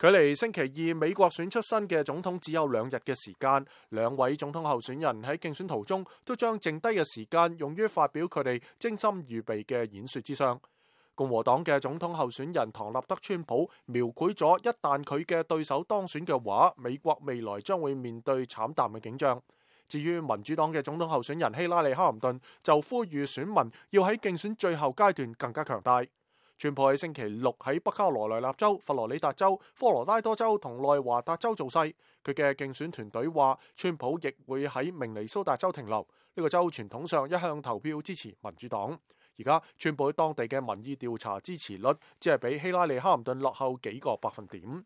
距離星期二美國選出新嘅總統只有2日嘅時間，兩位總統候選人喺競選途中都將剩低嘅時間用於發表佢哋精心預備嘅演說之上。共和黨嘅總統候選人唐納德川普描繪咗一旦佢嘅對手當選嘅話，美國未來將會面對慘淡嘅景象。至於民主黨嘅總統候選人希拉里·哈林頓就呼籲選民要喺競選最後階段更加強大。川普喺星期六喺北卡羅來納州、佛羅里達州、科羅拉多州同內華達州造勢。佢嘅競選團隊話，川普亦會喺明尼蘇達州停留。呢個州傳統上一向投票支持民主黨。而家川普喺當地嘅民意調查支持率只係比希拉里·哈林頓落後幾個百分點。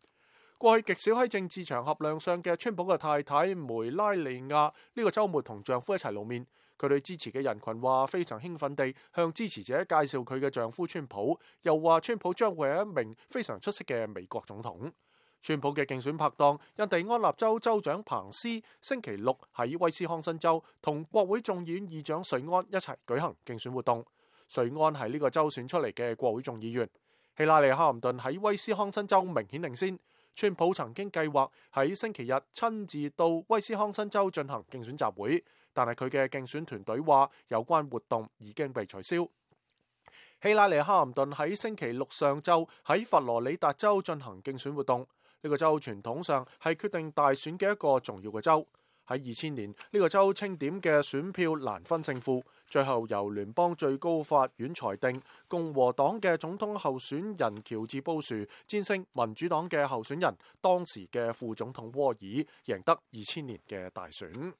過去極少喺政治場合亮相嘅川普嘅太太梅拉尼亞呢個週末同丈夫一齊露面。佢對支持嘅人群話非常興奮地向支持者介紹佢嘅丈夫川普，又話川普將會係一名非常出色嘅美國總統。川普嘅競選拍檔印第安納州州長彭斯星期六喺威斯康辛州同國會眾議院議長瑞安一齊舉行競選活動。瑞安係呢個州選出嚟嘅國會眾議員。希拉里·哈林頓喺威斯康辛州明顯領先。川普曾經計劃喺星期日親自到威斯康辛州進行競選集會，但係佢嘅競選團隊話有關活動已經被取消。希拉里·哈林頓喺星期六上晝喺佛羅里達州進行競選活動。呢個州傳統上係決定大選嘅一個重要嘅州。喺2000年，呢個州清點嘅選票難分勝負，最後由聯邦最高法院裁定共和黨嘅總統候選人喬治布殊戰勝民主黨嘅候選人當時嘅副總統沃爾，贏得2000年嘅大選。